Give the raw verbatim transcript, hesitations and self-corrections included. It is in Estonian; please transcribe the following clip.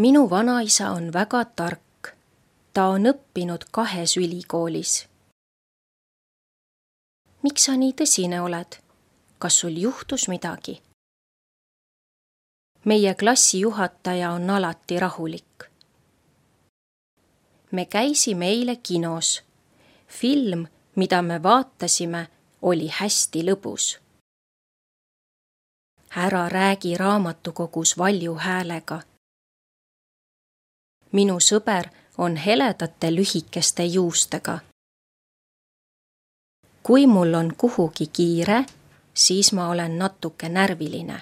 Minu vanaisa on väga tark. Ta on õppinud kahes ülikoolis. Miks sa nii tõsine oled? Kas sul juhtus midagi? Meie klassijuhataja on alati rahulik. Me käisime eile kinos. Film, mida me vaatasime, oli hästi lõbus. Ära räägi raamatukogus valju häälega. Minu sõber on heledate lühikeste juustega. Kui mul on kuhugi kiire, siis ma olen natuke närviline.